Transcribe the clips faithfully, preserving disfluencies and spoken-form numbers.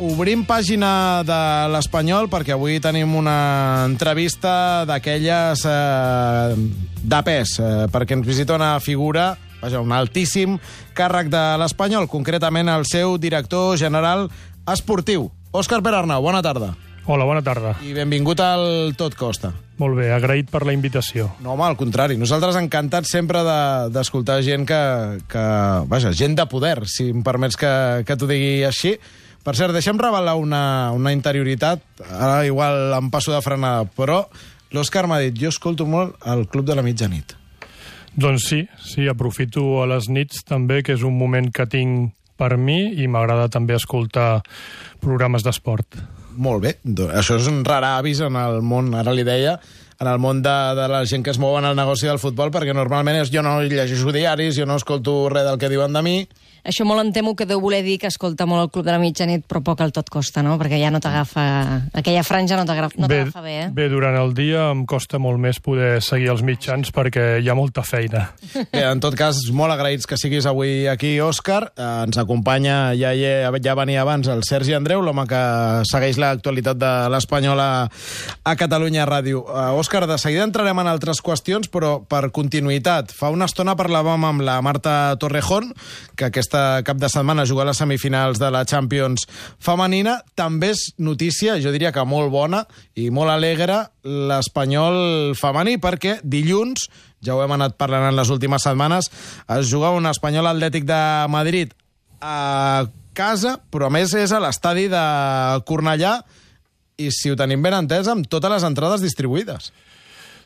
obrim pàgina de l'Espanyol perquè avui tenim una entrevista d'aquelles eh, de pes, eh, perquè ens visita una figura, vaja, un altíssim càrrec de l'Espanyol, concretament el seu director general esportiu. Òscar Pere-Arnau, bona tarda. Hola, bona tarda. I benvingut al Tot Costa. Molt bé, agraït per la invitació. No, home, al contrari. Nosaltres encantats sempre d'escoltar de, gent que, que... Vaja, gent de poder, si em permets que, que t'ho digui així. Per cert, deixa'm revelar una, una interioritat. Ara igual em passo de frenada, però l'Òscar m'ha dit, jo escolto molt el Club de la Mitjanit. Doncs sí, sí, aprofito a les nits també, que és un moment que tinc per mi i m'agrada també escoltar programes d'esport. Molt bé, això és un rar avis en el món, ara li deia, en el món de, de la gent que es mou en el negoci del futbol, perquè normalment és, jo no llegeixo diaris, jo no escolto res del que diuen de mi. Això molt em temo que deu voler dir que escolta molt el Club de la Mitjanit, però poc el Tot Costa, no? Perquè ja no t'agafa... Aquella franja no t'agafa no bé, bé, eh? Bé, durant el dia em costa molt més poder seguir els mitjans perquè hi ha molta feina. Bé, en tot cas, molt agraïts que siguis avui aquí, Òscar. Eh, ens acompanya, ja, ja, ja venia abans, el Sergi Andreu, l'home que segueix l'actualitat de l'Espanyol a, a Catalunya Ràdio. Eh, Òscar, de seguida entrarem en altres qüestions, però per continuïtat. Fa una estona parlàvem amb la Marta Torrejón, que aquesta cap de setmana juga a les semifinals de la Champions femenina. També és notícia, jo diria que molt bona i molt alegre, l'Espanyol femení, perquè dilluns, ja ho hem anat parlant en les últimes setmanes, es juga un Espanyol Atlètic de Madrid a casa, però a més és a l'estadi de Cornellà i, si ho tenim ben entès, amb totes les entrades distribuïdes.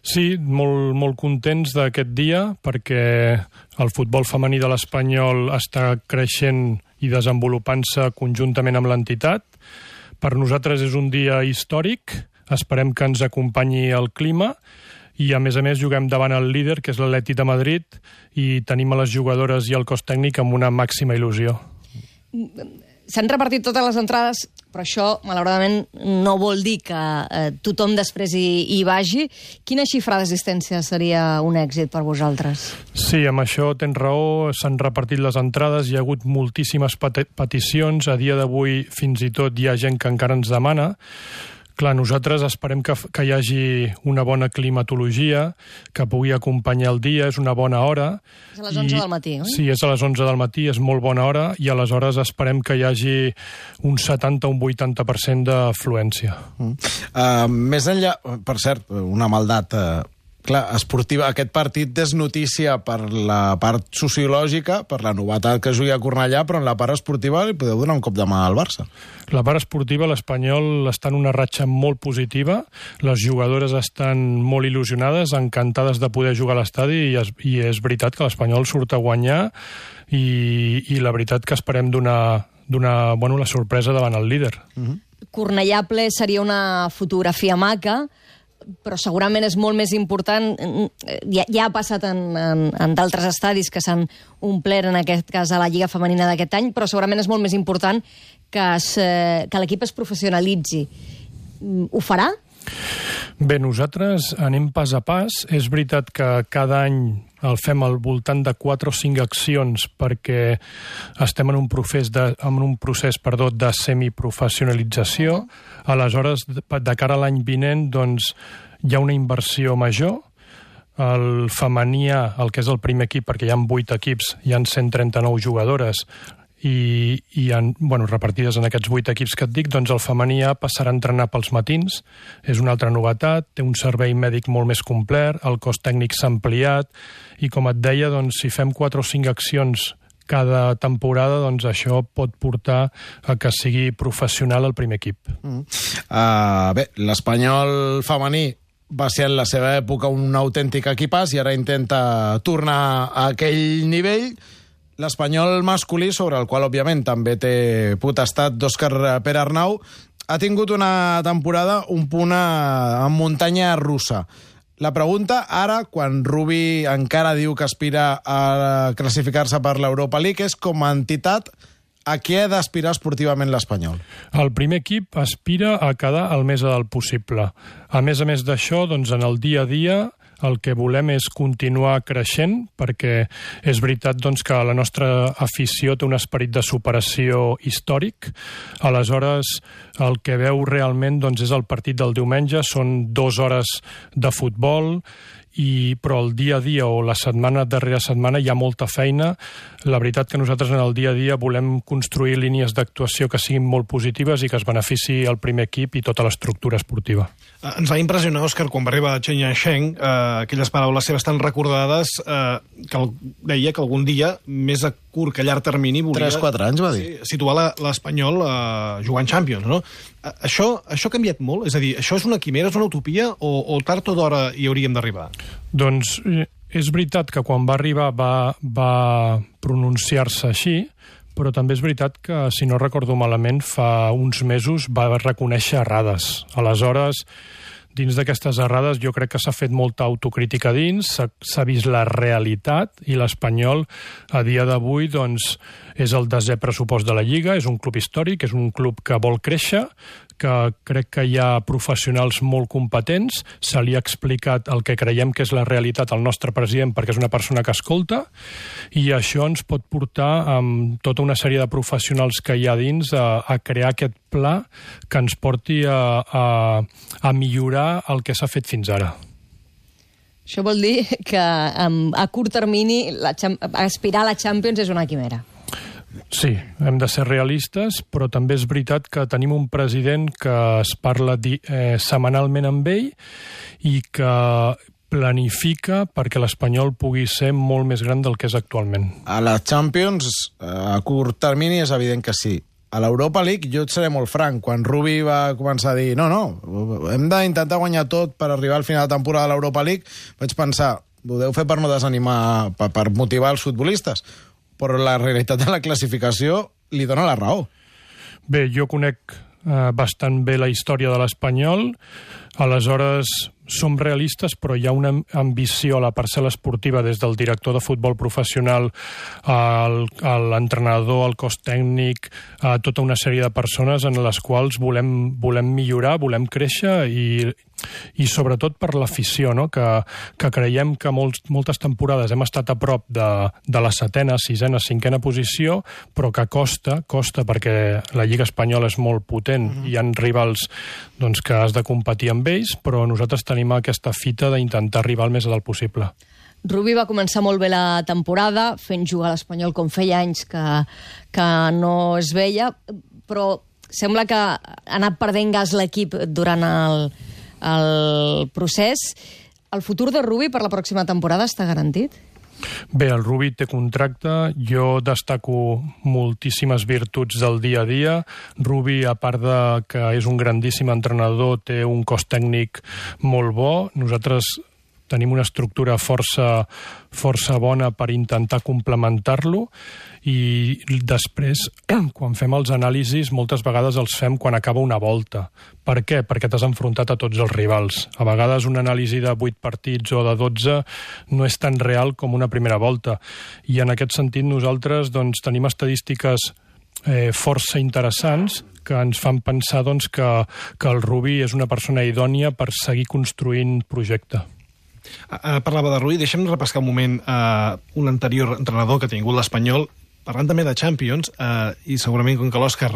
Sí, molt, molt contents d'aquest dia perquè el futbol femení de l'Espanyol està creixent i desenvolupant-se conjuntament amb l'entitat. Per nosaltres és un dia històric, esperem que ens acompanyi el clima i, a més a més, juguem davant el líder, que és l'Atlètic de Madrid, i tenim a les jugadores i el cos tècnic amb una màxima il·lusió. S'han repartit totes les entrades, però això, malauradament, no vol dir que eh, tothom després hi, hi vagi. Quina xifra d'assistència seria un èxit per vosaltres? Sí, amb això tens raó, s'han repartit les entrades, hi ha hagut moltíssimes peti- peticions, a dia d'avui fins i tot hi ha gent que encara ens demana. Clar, nosaltres esperem que, que hi hagi una bona climatologia, que pugui acompanyar el dia, és una bona hora. És a les onze del matí, oi? Sí, és a les onze del matí, és molt bona hora, i aleshores esperem que hi hagi un setanta o un vuitanta per cent d'afluència. Mm. Uh, més enllà, per cert, una maldat... Uh... Clar, esportiva, aquest partit és notícia per la part sociològica, per la novetat que jugui a Cornellà, però en la part esportiva li podeu donar un cop de mà al Barça. La part esportiva, l'Espanyol està en una ratxa molt positiva, les jugadores estan molt il·lusionades, encantades de poder jugar a l'estadi, i és, i és veritat que l'Espanyol surt a guanyar, i, i la veritat que esperem donar, donar bueno, la sorpresa davant el líder. Uh-huh. Cornellà ple seria una fotografia maca, però segurament és molt més important, ja, ja ha passat en, en, en d'altres estadis que s'han omplert, en aquest cas a la Lliga Femenina d'aquest any, però segurament és molt més important que, es, que l'equip es professionalitzi. Ho farà? Bé, nosaltres anem pas a pas. És veritat que cada any el fem al voltant de quatre o cinc accions perquè estem en un procés de, en un procés, perdó, de semiprofessionalització. Aleshores, de cara a l'any vinent, doncs, hi ha una inversió major. El femení, el que és el primer equip, perquè hi ha vuit equips, hi ha cent trenta-nou jugadores, i, i han, bueno, repartides en aquests vuit equips que et dic, doncs el femení A passarà a entrenar pels matins, és una altra novetat, té un servei mèdic molt més complet, el cos tècnic s'ha ampliat, i com et deia, doncs, si fem quatre o cinc accions cada temporada, doncs això pot portar a que sigui professional el primer equip. Mm. Uh, bé, l'Espanyol femení va ser en la seva època un autèntic equipàs i ara intenta tornar a aquell nivell. L'Espanyol masculí, sobre el qual, òbviament, també té potestat d'Òscar Pere-Arnau, ha tingut una temporada un punt a, en muntanya russa. La pregunta, ara, quan Rubi encara diu que aspira a classificar-se per l'Europa League, és com a entitat, a què ha d'aspirar esportivament l'Espanyol? El primer equip aspira a quedar el més a dalt possible. A més a més d'això, doncs, en el dia a dia el que volem és continuar creixent, perquè és veritat doncs, que la nostra afició té un esperit de superació històric. Aleshores, el que veu realment doncs, és el partit del diumenge, són dues hores de futbol, i, però el dia a dia o la setmana darrere setmana hi ha molta feina. La veritat que nosaltres en el dia a dia volem construir línies d'actuació que siguin molt positives i que es benefici el primer equip i tota l'estructura esportiva. Ens va impressionar, Òscar, quan va arribar Chen Yansheng, eh, aquelles paraules seves tan recordades, eh, que el, deia que algun dia, més a curt que a llarg termini, volia... tres quatre anys, va dir. Sí, situar l'Espanyol eh, jugant Champions, no? Eh, això, això ha canviat molt? És a dir, això és una quimera, és una utopia, o, o tard o d'hora hi hauríem d'arribar? Doncs és veritat que quan va arribar va, va pronunciar-se així, però també és veritat que, si no recordo malament, fa uns mesos va reconèixer errades. Aleshores, dins d'aquestes errades jo crec que s'ha fet molta autocrítica dins, s'ha vist la realitat, i l'Espanyol a dia d'avui doncs, és el desè pressupost de la Lliga, és un club històric, és un club que vol créixer, que crec que hi ha professionals molt competents, se li ha explicat el que creiem que és la realitat al nostre president perquè és una persona que escolta, i això ens pot portar amb tota una sèrie de professionals que hi ha dins a, a crear aquest pla que ens porti a, a, a millorar el que s'ha fet fins ara. Això vol dir que um, a curt termini la, aspirar a la Champions és una quimera. Sí, hem de ser realistes, però també és veritat que tenim un president que es parla di, eh, setmanalment amb ell i que planifica perquè l'Espanyol pugui ser molt més gran del que és actualment. A la Champions, a curt termini, és evident que sí. A l'Europa League jo et seré molt franc. Quan Rubi va començar a dir no, no, hem d'intentar guanyar tot per arribar al final de temporada de l'Europa League, vaig pensar, ho deu fer per no desanimar, per, per motivar els futbolistes. Però la realitat de la classificació li dona la raó. Bé, jo conec eh, bastant bé la història de l'Espanyol, aleshores som realistes, però hi ha una ambició a la parcel·la esportiva des del director de futbol professional al, a l'entrenador, al cos tècnic, a tota una sèrie de persones en les quals volem, volem millorar, volem créixer i, i sobretot per l'afició, no? que, que creiem que molts, moltes temporades hem estat a prop de, de la setena, sisena, cinquena posició, però que costa, costa perquè la Lliga Espanyola és molt potent, mm-hmm. hi ha rivals doncs, que has de competir amb ells, però nosaltres tenim aquesta fita d'intentar arribar el més a dalt possible. Rubi va començar molt bé la temporada, fent jugar a l'Espanyol com feia anys que, que no es veia, però sembla que ha anat perdent gas l'equip durant el, el procés. El futur de Rubi per la pròxima temporada està garantit? Bé, el Rubi té contracte, jo destaco moltíssimes virtuts del dia a dia. Rubi, a part de que és un grandíssim entrenador, té un cos tècnic molt bo. Nosaltres tenim una estructura força, força bona per intentar complementar-lo, i després, quan fem els anàlisis, moltes vegades els fem quan acaba una volta. Per què? Perquè t'has enfrontat a tots els rivals. A vegades una anàlisi de vuit partits o de dotze no és tan real com una primera volta. I en aquest sentit nosaltres doncs, tenim estadístiques eh, força interessants que ens fan pensar doncs, que, que el Rubi és una persona idònia per seguir construint projecte. Uh, parlava de Rubi, deixa'm repescar un moment uh, un anterior entrenador que ha tingut l'Espanyol, parlant també de Champions, uh, i segurament com que l'Òscar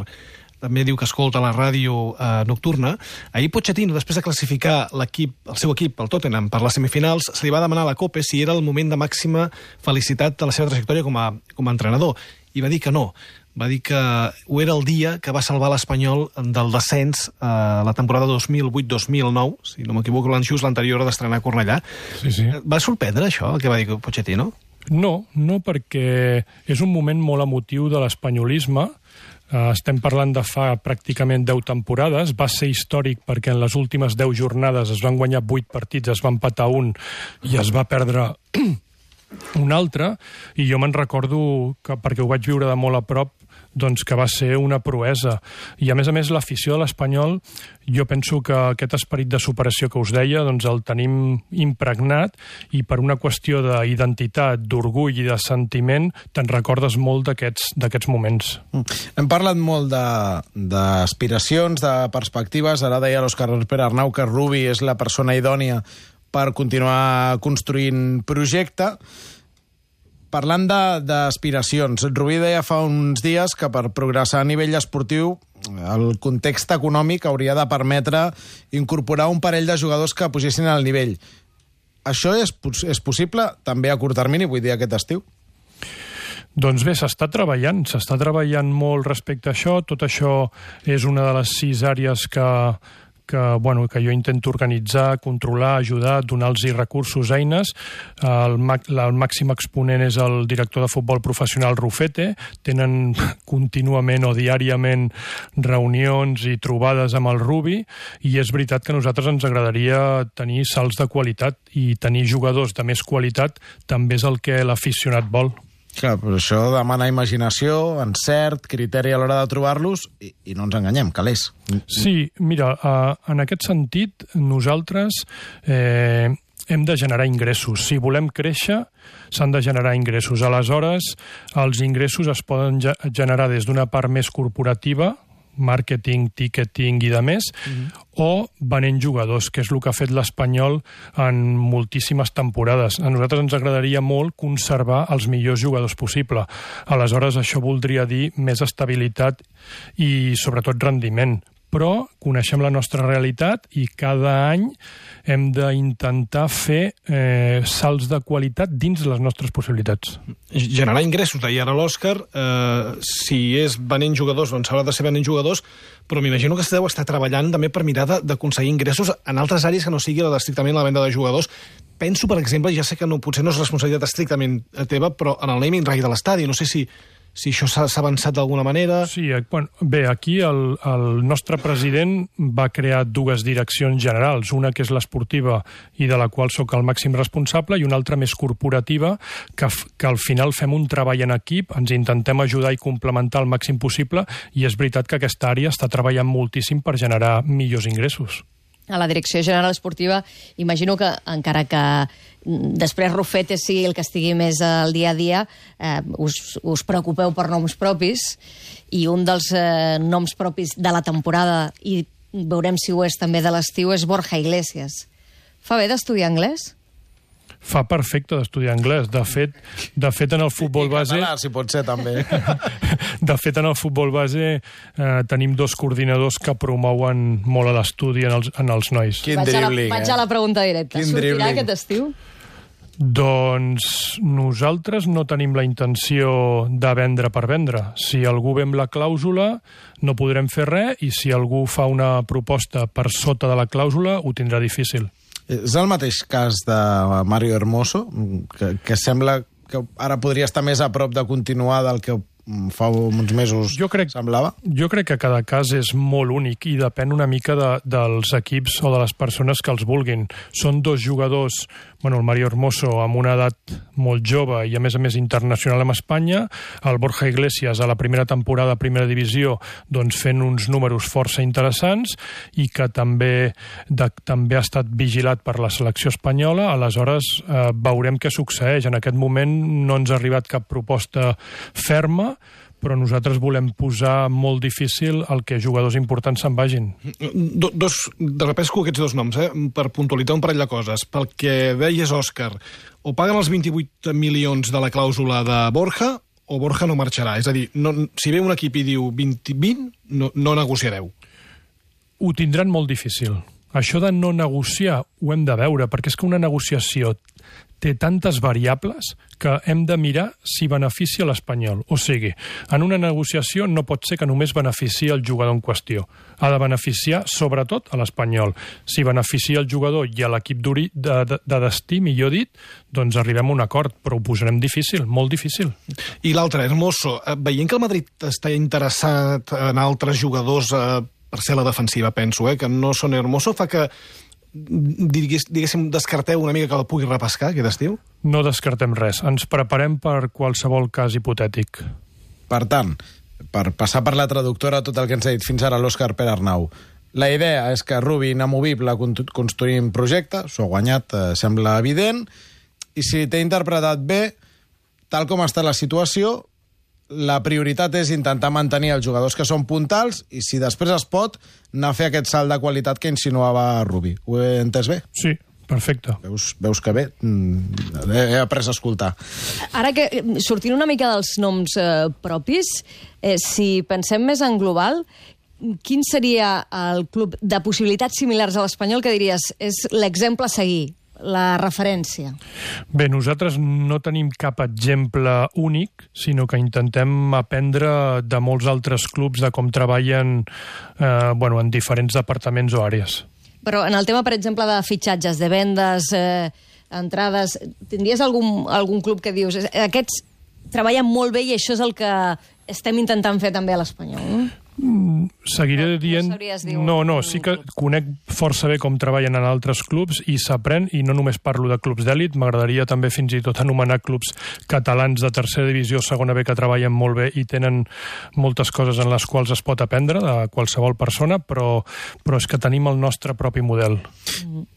també diu que escolta la ràdio uh, nocturna, ahir Pochettino, després de classificar l'equip, el seu equip, el Tottenham, per les semifinals, se li va demanar a la Copa si era el moment de màxima felicitat de la seva trajectòria com a, com a entrenador, i va dir que no. Va dir que ho era el dia que va salvar l'Espanyol del descens a la temporada dos mil vuit dos mil nou, si no m'equivoco, l'Anxús, l'anterior d'estrenar a Cornellà. Sí, sí. Va sorprendre això, el que va dir Pochettino? No, no, perquè és un moment molt emotiu de l'espanyolisme. Uh, estem parlant de fa pràcticament deu temporades. Va ser històric perquè en les últimes deu jornades es van guanyar vuit partits, es va empatar un i es va perdre un altre, i jo me'n recordo que, perquè ho vaig viure de molt a prop, doncs que va ser una proesa. I a més a més l'afició de l'Espanyol, jo penso que aquest esperit de superació que us deia, doncs el tenim impregnat, i per una qüestió d'identitat, d'orgull i de sentiment te'n recordes molt d'aquests d'aquests moments. Hem parlat molt d'aspiracions, de, de perspectives. Ara deia l'Òscar Pere Arnau que Rubi és la persona idònia per continuar construint projecte. Parlant d'aspiracions, Rubí deia fa uns dies que per progressar a nivell esportiu el context econòmic hauria de permetre incorporar un parell de jugadors que pugessin al nivell. Això és, és possible també a curt termini, vull dir aquest estiu? Doncs bé, s'està treballant, s'està treballant molt respecte a això. Tot això és una de les sis àrees que, que, bueno, que jo intento organitzar, controlar, ajudar, donar-los recursos, eines. El, el màxim exponent és el director de futbol professional Rufete. Tenen contínuament o diàriament reunions i trobades amb el Rubi, i és veritat que a nosaltres ens agradaria tenir salts de qualitat, i tenir jugadors de més qualitat també és el que l'aficionat vol. Clar, però això demana imaginació, encert, criteri a l'hora de trobar-los, i, i no ens enganyem, calés. Sí, mira, uh, en aquest sentit, nosaltres eh, hem de generar ingressos. Si volem créixer, s'han de generar ingressos. Aleshores, els ingressos es poden ge generar des d'una part més corporativa, màrqueting, ticketing i de més, mm-hmm. o venent jugadors, que és el que ha fet l'Espanyol en moltíssimes temporades. A nosaltres ens agradaria molt conservar els millors jugadors possible. Aleshores, això voldria dir més estabilitat i, sobretot, rendiment. Però coneixem la nostra realitat i cada any hem d'intentar fer eh, salts de qualitat dins les nostres possibilitats. Generar ingressos, deia ara l'Òscar, eh, si és venent jugadors, doncs haurà de ser venent jugadors, però m'imagino que esteu estar treballant també per mirar d'aconseguir ingressos en altres àrees que no sigui la estrictament la venda de jugadors. Penso, per exemple, ja sé que no, potser no és responsabilitat estrictament teva, però en el naming right de l'estadi, no sé si... si això s'ha avançat d'alguna manera... Sí, bueno, bé, aquí el, el nostre president va crear dues direccions generals, una que és l'esportiva i de la qual sóc el màxim responsable, i una altra més corporativa, que, que al final fem un treball en equip, ens intentem ajudar i complementar el màxim possible, i és veritat que aquesta àrea està treballant moltíssim per generar millors ingressos. A la Direcció General Esportiva, imagino que, encara que després Rufete sigui el que estigui més al dia a dia, eh, us, us preocupeu per noms propis, i un dels eh, noms propis de la temporada, i veurem si ho és també de l'estiu, és Borja Iglesias. Fa bé d'estudiar anglès? Fa perfecte d'estudiar anglès. De fet, de fet en el futbol base... I català, si pot ser, també. De fet, en el futbol base eh, tenim dos coordinadors que promouen molt a l'estudi en, els, en els nois. Quin dribling, eh? Vaig a la pregunta directa. Quin Sortirà dribling. aquest estiu? Doncs nosaltres no tenim la intenció de vendre per vendre. Si algú ve amb la clàusula, no podrem fer res, i si algú fa una proposta per sota de la clàusula, ho tindrà difícil. És el mateix cas de Mario Hermoso, que, que sembla que ara podria estar més a prop de continuar del que fa uns mesos jo crec, semblava? Jo crec que cada cas és molt únic i depèn una mica de, dels equips o de les persones que els vulguin. Són dos jugadors, bueno, el Mario Hermoso amb una edat molt jove i a més a més internacional amb Espanya, el Borja Iglesias a la primera temporada a primera divisió, doncs fent uns números força interessants, i que també, de, també ha estat vigilat per la selecció espanyola. Aleshores eh, veurem què succeeix. En aquest moment no ens ha arribat cap proposta ferma, però nosaltres volem posar molt difícil el que jugadors importants se'n vagin. Do, dos, de repesco aquests dos noms, eh, per puntualitzar un parell de coses. Pel que deies, Òscar, o paguen els vint-i-vuit milions de la clàusula de Borja, o Borja no marxarà. És a dir, no, si ve un equip i diu vint, vint no, no negociareu. Ho tindran molt difícil. Això de no negociar ho hem de veure, perquè és que una negociació té tantes variables que hem de mirar si beneficia l'Espanyol. O sigui, en una negociació no pot ser que només beneficia el jugador en qüestió. Ha de beneficiar, sobretot, a l'Espanyol. Si beneficia el jugador i a l'equip de, de, de destí, millor dit, doncs arribem a un acord, però ho posarem difícil, molt difícil. I l'altre, Hermoso, veient que el Madrid està interessat en altres jugadors eh, per ser la defensiva, penso, eh, que no són Hermoso, fa que Digués, diguéssim, descarteu una mica que el pugui repescar aquest estiu? No descartem res. Ens preparem per qualsevol cas hipotètic. Per tant, per passar per la traductora tot el que ens ha dit fins ara l'Òscar Pere Arnau, la idea és que Rubi inamovible construïm projecte, s'ho ha guanyat, eh, sembla evident, i si t'he interpretat bé, tal com està la situació, la prioritat és intentar mantenir els jugadors que són puntals, i si després es pot, anar a fer aquest salt de qualitat que insinuava Rubi. Ho he entès bé? Sí, Perfecte. Veus, veus que bé? He après a escoltar. Ara que, sortint una mica dels noms eh, propis, eh, si pensem més en global, quin seria el club de possibilitats similars a l'Espanyol que diries és l'exemple a seguir, la referència? Bé, nosaltres no tenim cap exemple únic, sinó que intentem aprendre de molts altres clubs de com treballen eh, bueno, en diferents departaments o àrees. Però en el tema, per exemple, de fitxatges, de vendes, eh, entrades, tindries algun, algun club que dius aquests treballen molt bé i això és el que estem intentant fer també a l'Espanyol, no? Mm, seguiré no, dient... No, no, no, sí que conec força bé com treballen en altres clubs i s'aprèn, i no només parlo de clubs d'èlit, m'agradaria també fins i tot anomenar clubs catalans de tercera divisió, segona B, que treballen molt bé i tenen moltes coses en les quals es pot aprendre de qualsevol persona, però, però és que tenim el nostre propi model.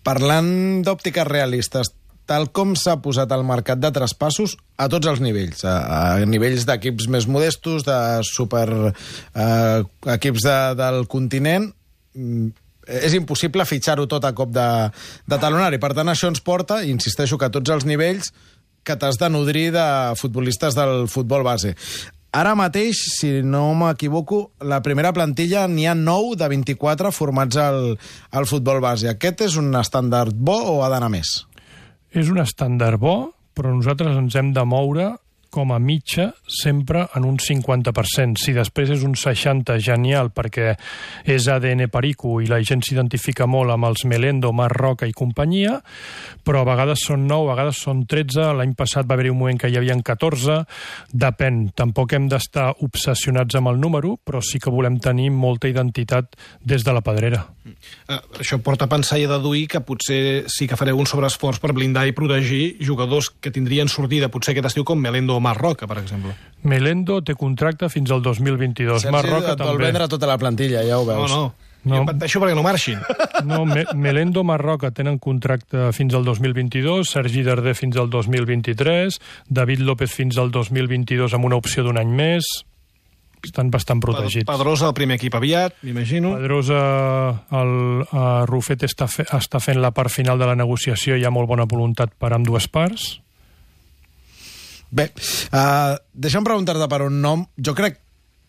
Parlant d'òptiques realistes, tal com s'ha posat al mercat de traspassos a tots els nivells, a, a nivells d'equips més modestos, de super eh, equips de, del continent, és impossible fitxar-ho tot a cop de, de talonari. Per tant, això ens porta, i insisteixo que a tots els nivells, que t'has de nodrir de futbolistes del futbol base. Ara mateix, si no m'equivoco, la primera plantilla n'hi ha nou de vint-i-quatre formats al, al futbol base. Aquest és un estàndard bo o ha d'anar més? És un estàndard bo, però nosaltres ens hem de moure com a mitja sempre en un cinquanta per cent. Si després és un seixanta, genial, perquè és A D N Perico i la gent s'identifica molt amb els Melendo, Marc Roca i companyia, però a vegades són nou, a vegades són tretze, l'any passat va haver-hi un moment que hi havia catorze, depèn. Tampoc hem d'estar obsessionats amb el número, però sí que volem tenir molta identitat des de la pedrera. Uh, això porta a pensar i a deduir que potser sí que fareu un sobreesforç per blindar i protegir jugadors que tindrien sortida potser aquest estiu com Melendo o Marc Roca, per exemple. Melendo té contracte fins al dos mil vint-i-dos. Marc Roca et també. vol vendre tota la plantilla, ja ho veus. No, no. No. Jo pateixo perquè no marxin. No, Me Melendo, Marc Roca tenen contracte fins al dos mil vint-i-dos, Sergi Darder fins al dos mil vint-i-tres, David López fins al dos mil vint-i-dos amb una opció d'un any més. Estan bastant protegits. Pedrosa, el primer equip aviat, m'imagino. Pedrosa, el uh, Rufet està, fe, està fent la part final de la negociació, hi ha molt bona voluntat per amb dues parts. Bé, uh, deixa'm preguntar-te per un nom. Jo crec,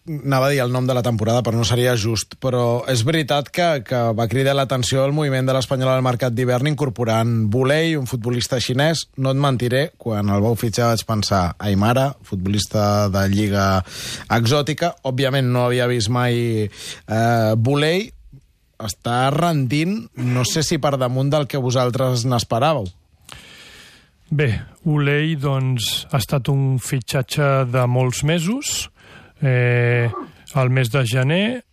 anava a dir el nom de la temporada, però no seria just, però és veritat que, que va cridar l'atenció el moviment de l'Espanyol al mercat d'hivern incorporant Bulei, un futbolista xinès. No et mentiré, quan el vau fitxar vaig pensar Aimara, futbolista de lliga exòtica. Òbviament no havia vist mai eh, Bulei. Està rendint, no sé si per damunt del que vosaltres n'esperàveu. Bé, Bulei, doncs, ha estat un fitxatge de molts mesos. Eh, al mes de gener,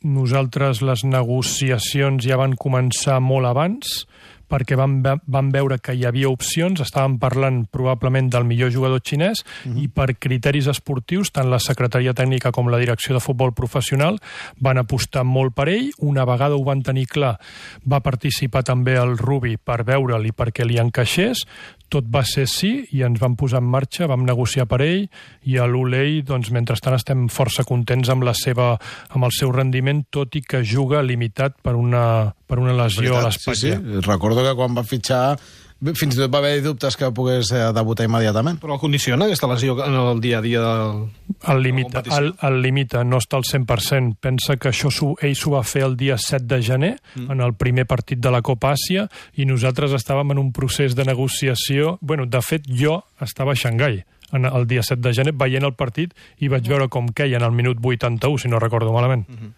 nosaltres les negociacions ja van començar molt abans, perquè vam, vam veure que hi havia opcions, estàvem parlant probablement del millor jugador xinès, uh-huh. i per criteris esportius, tant la Secretaria Tècnica com la Direcció de Futbol Professional van apostar molt per ell. Una vegada ho van tenir clar, va participar també el Rubi per veure'l i perquè li encaixés. Tot va ser sí i ens vam posar en marxa, vam negociar per ell, i a l'Ulei, doncs, mentrestant estem força contents amb la seva, amb el seu rendiment, tot i que juga limitat per una, per una lesió a l'espatlla. Sí, sí. Recordo que quan va fitxar fins i tot va haver dubtes que pogués debutar immediatament. Però el condiciona aquesta lesió en el dia a dia del... El limita, el, el limita, no està al cent per cent. Pensa que això ell s'ho va fer el dia set de gener, mm. en el primer partit de la Copa Àsia, i nosaltres estàvem en un procés de negociació. Bueno, de fet, jo estava a Xangai el dia set de gener veient el partit i vaig veure com queia en el minut vuitanta-u, si no recordo malament. Mm-hmm.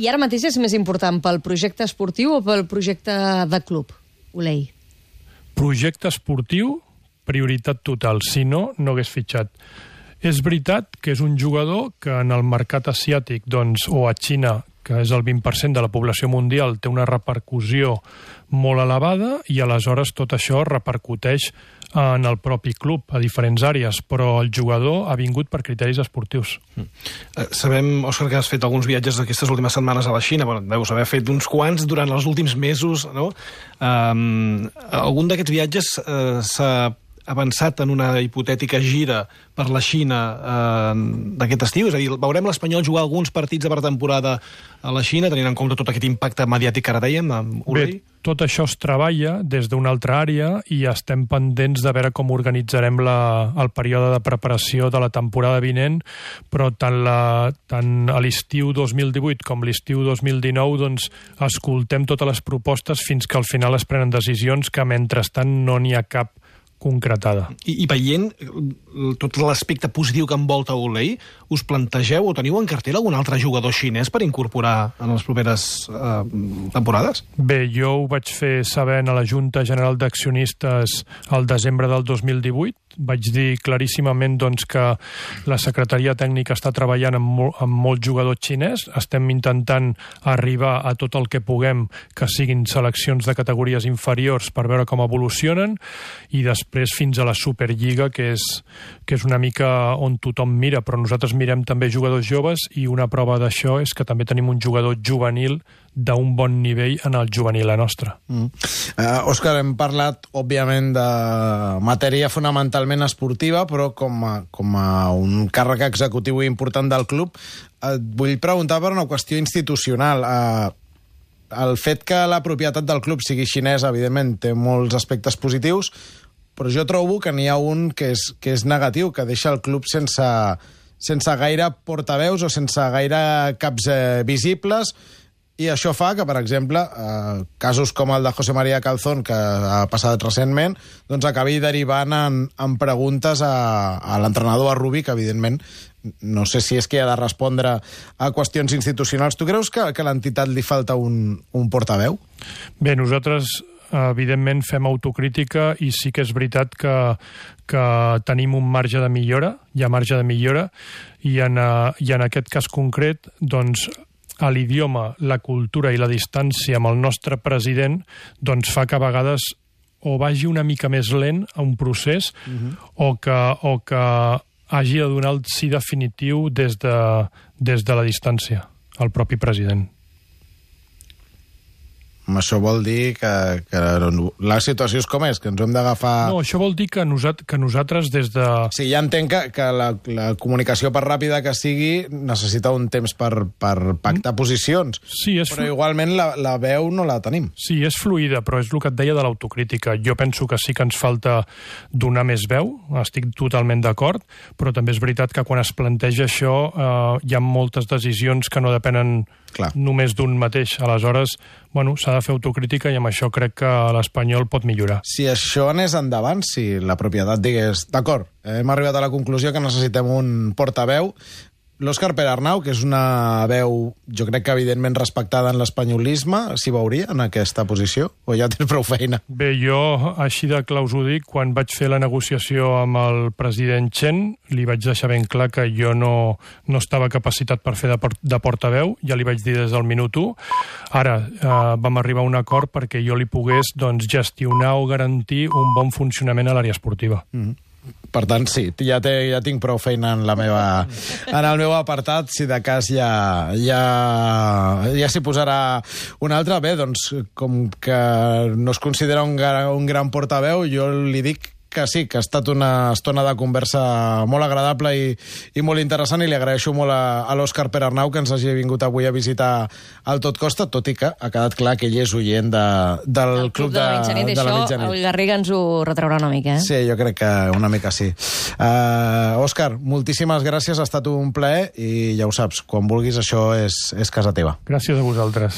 I ara mateix és més important pel projecte esportiu o pel projecte de club, Ulei? Projecte esportiu, prioritat total. Si no, no hagués fitxat. És veritat que és un jugador que en el mercat asiàtic, doncs, o a Xina, que és el vint per cent de la població mundial, té una repercussió molt elevada i aleshores tot això repercuteix en el propi club, a diferents àrees, però el jugador ha vingut per criteris esportius. Mm. Eh, sabem, Òscar, que has fet alguns viatges aquestes últimes setmanes a la Xina, bueno, deus haver fet uns quants durant els últims mesos, no? Um, algun d'aquests viatges uh, s'ha avançat en una hipotètica gira per la Xina eh, d'aquest estiu? És a dir, veurem l'Espanyol jugar alguns partits de pretemporada a la Xina, tenint en compte tot aquest impacte mediàtic que ara dèiem, amb Ulei? Bé, tot això es treballa des d'una altra àrea i estem pendents de veure com organitzarem la, el període de preparació de la temporada vinent, però tant, la, tant a l'estiu dos mil divuit com l'estiu dos mil dinou doncs, escoltem totes les propostes fins que al final es prenen decisions que mentrestant no n'hi ha cap concretada. I, i veient tot l'aspecte positiu que envolta Olei, us plantegeu o teniu en cartera algun altre jugador xinès per incorporar en les properes eh, temporades? Bé, jo ho vaig fer sabent a la Junta General d'Accionistes al desembre del dos mil divuit. Vaig dir claríssimament doncs, que la Secretaria Tècnica està treballant amb, mol, amb molt jugador xinès. Estem intentant arribar a tot el que puguem que siguin seleccions de categories inferiors per veure com evolucionen i després fins a la Superliga, que és, que és una mica on tothom mira, però nosaltres mirem també jugadors joves i una prova d'això és que també tenim un jugador juvenil d'un bon nivell en el juvenil a nostra. Mm. Uh, Òscar, hem parlat, òbviament, de matèria fonamentalment esportiva, però com a, com a un càrrec executiu important del club, et vull preguntar per una qüestió institucional. Uh, el fet que la propietat del club sigui xinesa, evidentment, té molts aspectes positius, però jo trobo que n'hi ha un que és, que és negatiu, que deixa el club sense, sense gaire portaveus o sense gaire caps eh, visibles, i això fa que, per exemple, eh, casos com el de José María Calzón, que ha passat recentment, doncs acabi derivant en, en preguntes a, a l'entrenador, a Rubi, que evidentment no sé si és que ha de respondre a qüestions institucionals. Tu creus que, que a l'entitat li falta un, un portaveu? Bé, nosaltres evidentment fem autocrítica i sí que és veritat que, que tenim un marge de millora, hi ha marge de millora, i en, i en aquest cas concret, doncs, a l'idioma, la cultura i la distància amb el nostre president doncs fa que a vegades o vagi una mica més lent a un procés uh-huh. o, que, o que hagi de donar el sí definitiu des de, des de la distància al propi president. Això vol dir que, que la situació és com és, que ens hem d'agafar... No, això vol dir que, nosat, que nosaltres des de... Sí, ja entenc que, que la, la comunicació, per ràpida que sigui, necessita un temps per, per pactar mm. posicions. Sí, és però igualment la, la veu no la tenim. Sí, és fluida, però és el que et deia de l'autocrítica. Jo penso que sí que ens falta donar més veu, estic totalment d'acord, però també és veritat que quan es planteja això eh, hi ha moltes decisions que no depenen Clar. només d'un mateix. Aleshores, bueno, s'ha de fer autocrítica i amb això crec que l'Espanyol pot millorar. Si això anés endavant, si la propietat digués, d'acord, hem arribat a la conclusió que necessitem un portaveu, l'Òscar Pere-Arnau, que és una veu, jo crec que evidentment respectada en l'espanyolisme, s'hi veuria en aquesta posició? O ja tens prou feina? Bé, jo, així de clar us ho dic, quan vaig fer la negociació amb el president Chen, li vaig deixar ben clar que jo no, no estava capacitat per fer de, port de portaveu, ja li vaig dir des del minut u. Ara, eh, vam arribar a un acord perquè jo li pogués doncs, gestionar o garantir un bon funcionament a l'àrea esportiva. Mm-hmm. Per tant, sí, ja, té, ja tinc prou feina en, la meva, en el meu apartat, si de cas ja, ja, ja s'hi posarà un altre. Bé, doncs, com que no es considera un, un gran portaveu, jo li dic que sí, que ha estat una estona de conversa molt agradable i, i molt interessant, i li agraeixo molt a, a l'Òscar Pere-Arnau que ens hagi vingut avui a visitar el Tot Costa, tot i que ha quedat clar que ell és oient de, del el Club de, de la Mitjanit. De la mitjanit. Això el Garriga ens ho retraurà una mica, eh? Sí, jo crec que una mica sí. Uh, Òscar, moltíssimes gràcies, ha estat un plaer i ja ho saps, quan vulguis això és, és casa teva. Gràcies a vosaltres.